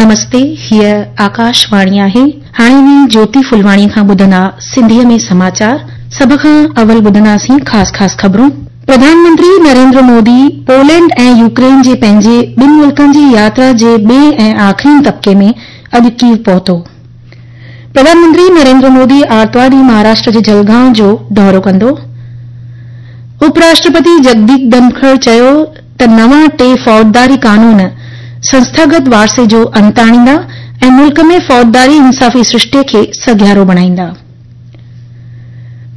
نمستي، هيء آڪاش واڻي آهي. هاڻي اوهين جوتي ڦلواڻيء کان ٻڌندا سنڌيء ۾ سماچار. سڀ کان اول ٻڌنداسين خاص خاص خبرون. پرڌان منتري نريندر مودي پولينڊ ۽ يوڪرين جي پنهنجي ٻن ملڪن جي ياترا جي ٻئي ۽ آخرين طبقي ۾ اڄ ڪيو پهتو. پرڌان منتري نريندر مودي آرتوار ڏينهن مهاراشٽر جي جلگائون جو دورو ڪندو. اپ راشٽرپتي جگديپ ڌنکڙ چيو ته نوان ٽي فوجداري قانون سنسٿاگت وارثي جو انت آڻيندا ۽ ملڪ ۾ فوجداري انصافي سرشتي کي سگهارو بڻائيندا.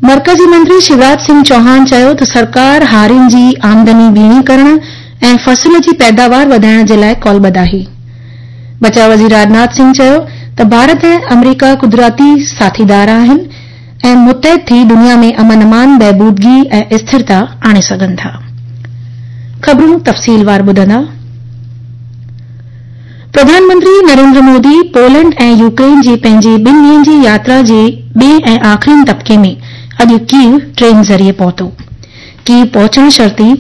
مرڪزي منتري شيوراج سنگهه چوهان چيو ته سرڪار هارين جي آمدني ٻيڻي ڪرڻ ۽ فصل جي پيداوار وڌائڻ جي لاء قولبڌ آهي. بچاء وزير راجناٿ سنگهه چيو ته ڀارت ۽ آمريڪا قدرتي ساٿيدار آهن ۽ متحد ٿي دنيا ۾ امن امان، بهبودگي ۽ اسٿرتا آڻي سگهن ٿا. خبرون تفصيلوار ٻڌندا. پرڌان منتري نريندر مودي پولينڊ ۽ يوڪرين جي پنهنجي ٻن ڏينهن جي ياترا جي ٻئي ۽ آخرين طبقي ۾ اڄ ڪيو ٽرين ذريعي پهتو. ڪيو پهچڻ شرط ئي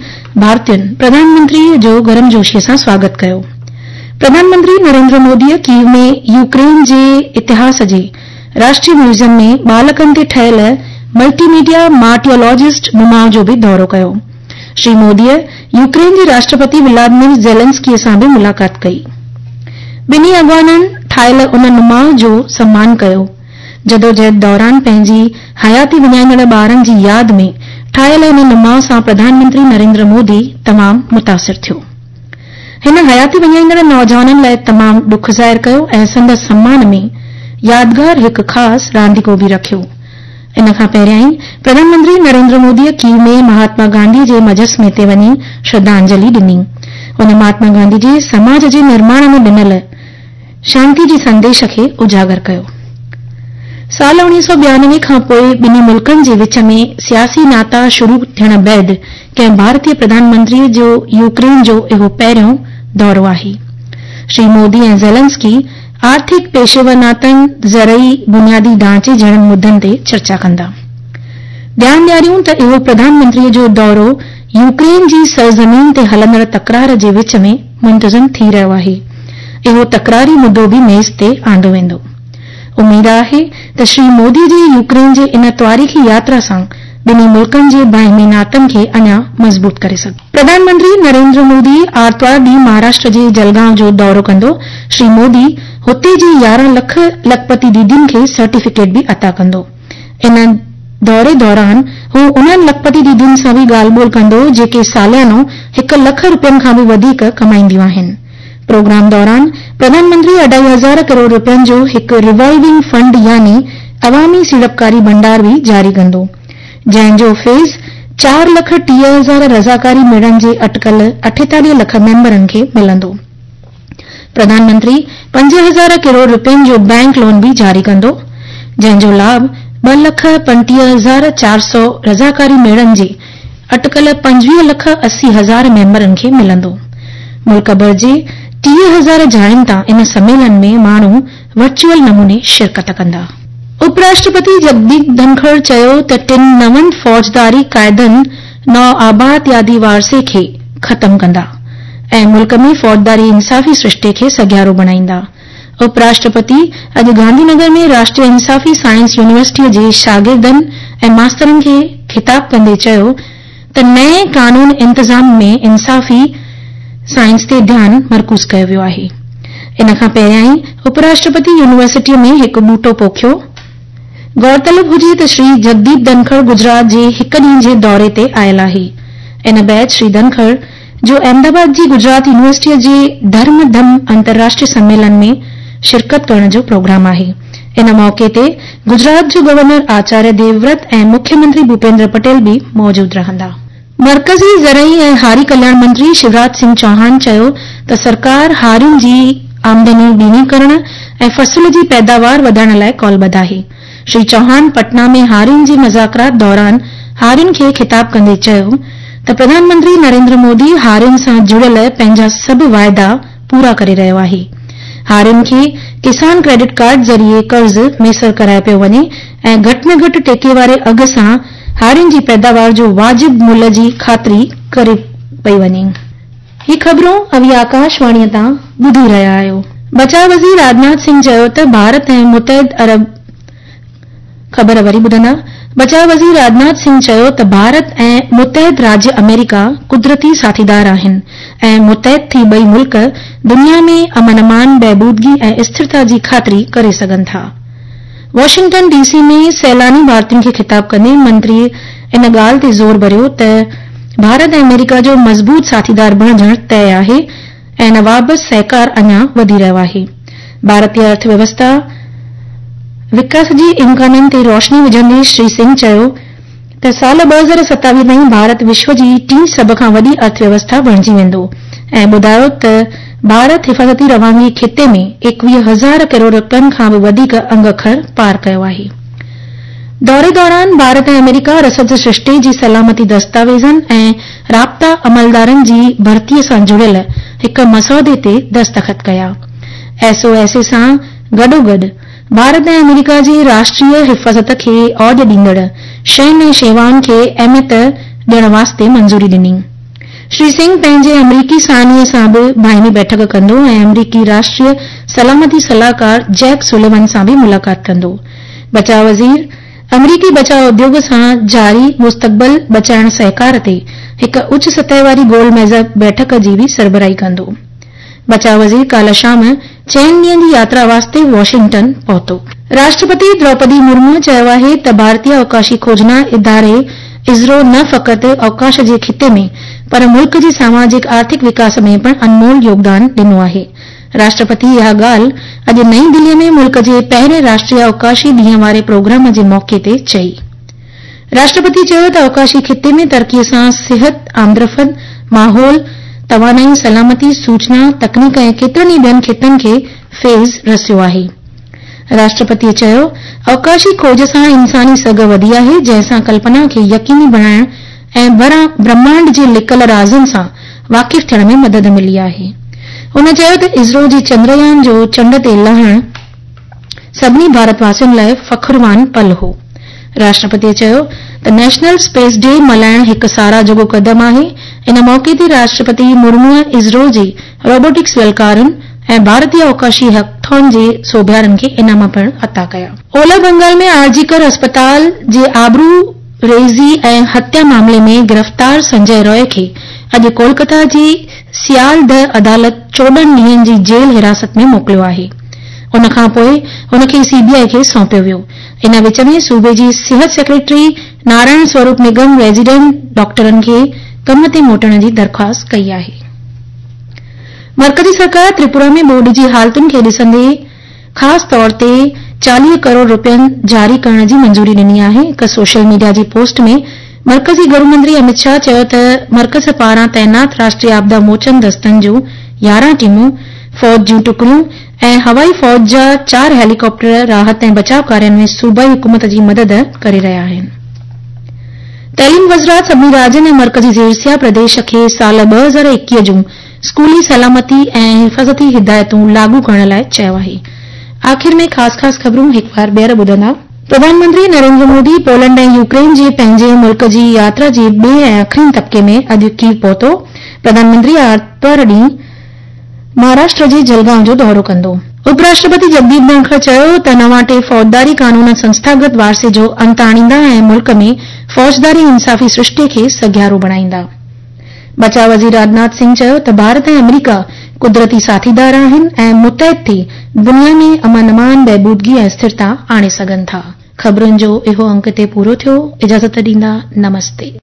ڀارتين پرڌان منتري جو گرمجوشي سان سواگت ڪيو. پرڌان منتري نريندر مودي ڪيو ۾ يوڪرين جي اتهاس جي راشٽري ميوزيم ۾ ٻالڪن تي ٺهيل ملٽي ميڊيا مارٽيولاجسٽ نماء جو به دورو ڪيو. شري موديء يوڪرين جي راشٽرپتي ولادمير زيلنسڪيء سان به ملاقات ڪئي. ٻنهي اڳواڻن ٺاهيل ان نماء جو سمان ڪيو. جدوجهد دوران پنهنجي حياتي وڃائيندڙ ٻارن جي ياد ۾ ٺاهيل ان نماء سان پرڌان منتري نريندر مودي تمام متاثر ٿيو. هن حياتي وڃائيندڙ نوجوانن لاء تمام ڏک ظاهر ڪيو ۽ سندس سمان ۾ يادگار هڪ خاص رانديڪو به رکيو. ان کان پهريائين پرڌان منتري نريندر موديء ڪيو ۾ مهاتما گانڌي جي مجسمي تي وڃي شرڌانجلي ڏني. هن مهاتما گانڌي جي سماج جي نرماڻ ۾ ڏنل شانتي جي سنديش کي اجاگر ڪيو. سال 1992 کان پوء ٻنهي ملڪن جي وچ ۾ سياسي ناتا شروع ٿيڻ بعد ڪنهن ڀارتي پرڌان منتري جو يوڪرين جو اهو پهريون دورو آهي. شري مودي ۽ زيلنسڪي آرٿڪ پيشيور ناتن، زرعي بنيادي ڍانچي جهڙن مدن تي چرچا ڪندا. ڌيان ڏياريون ته اهو پرڌان منتري جو دورو يوڪرين جي سرزمين تي هلندڙ تڪرار جي وچ ۾ منتظم ٿي رهيو آهي. اهو تڪراري مدو به ميز تي آندو ويندو. اميد آهي ته شري مودي جي يوڪرين جي ان تواريخي ياترا سان ٻنهي ملڪن جي باهمي ناتن کي اڃا مضبوط ڪري سگهبو. پرڌان منتري نريندر مودي آرتوار ڏينهن مهاراشٽر جي جلگائون جو دورو ڪندو. شري مودي هتي جي 11 لک لکپتي ديدين کي سرٽيفڪيٽ به عطا ڪندو. ان دوري دوران هو انهن لکپتي ديدين سان به ڳالهه ٻولهه ڪندو جيڪي ساليانو هڪ لک روپين کان به وڌيڪ ڪمائينديون آهن. پروگرام دوران پرڌان منتري اڍائي هزار ڪروڙ روپين جو هڪ ريوالونگ فنڊ يعني عوامي سيڙپڪاري ڀنڊار به جاري ڪندو. جنهن جو فيض 4,30,000 رضاڪاري ميڙن جي اٽڪل 48 لک ميمبرن کي ملندو. پرڌان منتري 5,000 ڪروڙ روپين جو بئنڪ لون به جاري ڪندو، جنهن جو لاڀ 2,35,400 رضاڪاري ميڙن جي اٽڪل 25 لک 80 هزار ميمبرن کي ملندو. ملڪ ڀر جي 30,000 جاين تان ان سميلن ۾ ماڻهو ورچوئل نموني شرڪت ڪندا. اپ راشٽرپتي جگديپ ڌنکڙ چيو ته ٽن نون فوجداري قاعدن نوآبادياتي وارثي کي ختم ڪندا ۽ ملڪ ۾ فوجداري انصافي سرشتي کي سگهارو بڻائيندا. اپ راشٽرپتي اڄ گانڌي نگر ۾ راشٽريه انصافي سائنس يونيورسٽيء جي شاگردن ۽ ماسترن کي خطاب ڪندي چيو ته نئين قانون انتظام ۾ انصافي سائنس تي ڌيان مرڪوز ڪيو ويو آهي. ان کان پهريائين اپ راشٽرپتي يونيورسٽيء ۾ هڪ ٻوٽو پوکيو. غور طلب هجي ته شري جگديپ ڌنکڙ گجرات جي هڪ ڏينهن جي دوري تي آيل آهي. ان بعد شري ڌنکڙ جو احمد آباد جي گجرات يونيورسٽيء جي ڌرم ڌم انترراشٽري سميلن ۾ شرڪت ڪرڻ جو پروگرام آهي. ان موقعي تي گجرات جو گورنر آچاريه ديوورت ۽ مکيه منتري ڀوپيندر پٽيل به موجود رهندا. مرڪزي زرعي ۽ هاري ڪلياڻ منتري شيوراج سنگهه چوهان چيو ته سرڪار هارين جي آمدني ٻيڻي ڪرڻ ۽ فصل جي پيداوار وڌائڻ لاء قولبڌ آهي. شري چوهان پٽنا ۾ هارين جي مذاڪرات دوران هارين کي خطاب ڪندي چيو ته پرڌان منتري نريندر مودي هارين سان جڙيل پنهنجا سڀ واعدا پورا ڪري رهيو آهي. هارين کي ڪسان ڪريڊٽ ڪارڊ ذريعي قرض ميسر ڪرايو پيو وڃي ۽ گهٽ ۾ گهٽ ٽيڪي واري اگهه سان هارين جي پيداوار جو واجب ملهه جي خاطري ڪري پئي وڃي. هي خبرون اوهين آڪاش واڻيء تان ٻڌي رهيا آهيو. بچاء وزير راجناٿ سنگهه چيو ته ڀارت ۽ متحد عرب خبر وري ٻڌندا، بچاء وزير راجناٿ سنگهه چيو ته ڀارت ۽ متحد راجيه آمريڪا قدرتي ساٿيدار آهن ۽ متحد ٿي ٻئي ملڪ دنيا ۾ امن امان، بهبودگي ۽ اسٿرتا جي خاطري ڪري سگهن ٿا. واشنگٽن ڊي سي ۾ سيلاني ڀارتين کي خطاب ڪندي منتري ان ڳالهه تي زور ڀريو ته ڀارت ۽ آمريڪا جو مضبوط ساٿيدار بڻجڻ طئي آهي ۽ ان بابت سهڪار اڃا وڌي رهيو آهي. ڀارتي ارٿ ويوسٿا وڪاس جي امڪانن تي روشني وجهندي شري سنگهه چيو ته سال 2027 تائين ڀارت وشو جي ٽين سڀ کان وڏي ارٿ ويوسٿا بڻجي ويندو ۽ ٻڌايو ته ڀارت حفاظتي روانگي خطي ۾ 21 هزار ڪروڙ رپين کان به وڌيڪ انگ اکر پار ڪيو آهي. دوري دوران ڀارت ۽ آمريڪا رسد سرشتي جي سلامتي دستاويزن ۽ رابطا عملدارن جي ڀرتي سان جڙيل هڪ مسودي تي دستخط ڪيا. ايس او ايس اي سان گڏوگڏ ڀارت ۽ آمريڪا جي راشٽريه حفاظت کي اوڄ ڏيندڙ شين ۽ شيوائن کي اهميت ڏيڻ واسطي منظوري ڏني. شري سنگهه پنهنجي آمريڪي ثاني سان به باهمي بيٺڪ ڪندو ۽ آمريڪي راشٽريه سلامتي صلاحڪار جيڪ سوليون سان به ملاقات ڪندو. بچاء وزير آمريڪي بچاء اديوگ سان جاري مستقبل بچائڻ سهڪار تي هڪ اچ سطح واري گول ميز بيٺڪ جي به سربراهي ڪندو. بچاء وزير ڪالهه شام چئن ڏينهن جي ياترا واسطي واشنگٽن پهتو. راشٽرپتي دروپدي مرمو چيو آهي ته ڀارتي اوڪاشي کوجنا اداري اسرو نه فقط اوڪاش جي خطي ۾ پر ملڪ جي ساماجڪ آرٿڪ وڪاس ۾ پڻ انمول يوگدان ڏنو آهي. راشٽرپتي اها ڳالهه اڄ نئين دلي ۾ ملڪ جي پهرين راشٽريه اوڪاشي ڏينهن واري پروگرام جي موقعي تي چئي. راشٽرپتي چيو ته اوڪاشي خطي ۾ ترقي سان صحت، آمدرفت، ماحول، توانائي، سلامتي، سوچنا، تڪنيڪ ۽ ڪيترن ئي ٻين خطن کي فيض رسيو آهي. راشٽرپتي چيو اوڪاشي کوج سان انساني سگهه وڌي آهي جنهن سان ڪلپنا کي يقيني بڻائڻ ۽ برهمانڊ جي لڪل رازن سان واقف ٿيڻ ۾ مدد ملي آهي. هن چيو ته اسرو جي چندريان جو چنڊ تي لهڻ سڀني ڀارت واسين لاء فخروان پل هو. راشٽرپتي چيو ته نيشنل اسپيس ڊي ملهائڻ هڪ ساراهه جوڳو قدم آهي. ان موقعي تي راشٽرپتي مرموء اسرو جي روبوٽڪس ويلڪارن ۽ ڀارتي اوڪاشي هيڪٿان جي سوڀيارن کي انعام پڻ عطا ڪيا. اولهه بنگال ۾ آر جي ڪر اسپتال جي آبرو ريزي ۽ هتيا معاملي ۾ گرفتار سنجي روء کي اڄ ڪولڪتا جي سيالده عدالت 14 ڏينهن جي جيل حراست ۾ موڪليو آهي. ان کان پوء هن کي سي بي آء کي سونپيو ويو. ان وچ ۾ صوبي جي صحت سيڪريٽري نارائڻ سوروپ نگم ريزيڊنٽ ڊاڪٽرن کي ڪم تي موٽڻ جي درخواست ڪئي آهي. مرڪزي سرڪار تريپورا ۾ ٻوڏ جي حالتن کي ڏسندي خاص طور تي 40 ڪروڙ رپين جاري ڪرڻ جي منظوري ڏني آهي. هڪ سوشل ميڊيا جي پوسٽ ۾ مرڪزي گهرو منتري امت شاهه چيو ته مرڪز پاران تعينات راشٽريه آپدا موچن دستن جون 11 ٽيمون، فوج جون ٽڪڙيون ۽ هوائي فوج جا چار هيليڪاپٽر راحت ۽ بچاء ڪارين ۾ صوبائي حڪومت جي مدد ڪري رهيا آهن. تعليم وزارت سڀني راجين ۽ مرڪزي زيرسيا پرديش کي سال 2021 جون اسڪولي سلامتي ۽ حفاظتي هدايتون لاڳو ڪرڻ لاء چيو آهي. آخر ۾ خاص خاص خبرون هڪ وار ٻيهر ٻڌندا. پرڌان منتري نريندر مودي پولنڊ ۽ يوڪرين جي پنهنجي ملڪ جي ياترا جي ٻئي ۽ آخرين طبقي ۾ اڄ ڪيو پهتو. پرڌان منتري آرتوار ڏينهن مهاراشٽر جي جلگائون جو دورو ڪندو. اپ راشٽرپتي جگديپ ڌنکڙ چيو ته نوان ٽي فوجداري قانون سنسٿاگت وارثي جو انت آڻيندا ۽ ملڪ ۾ فوجداري انصافي سرشتي کي سگهارو بڻائيندا. بچاء وزير راجناٿ سنگهه چيو ته ڀارت ۽ آمريڪا قدرتي ساٿيدار آهن ۽ متحد ٿي دنيا ۾ امن امان، بهبودگي ۽ اسٿرتا آڻي سگهن ٿا. خبرن جو اهو انڪ هتي پورو ٿيو. اجازت ڏيندا. نمستي.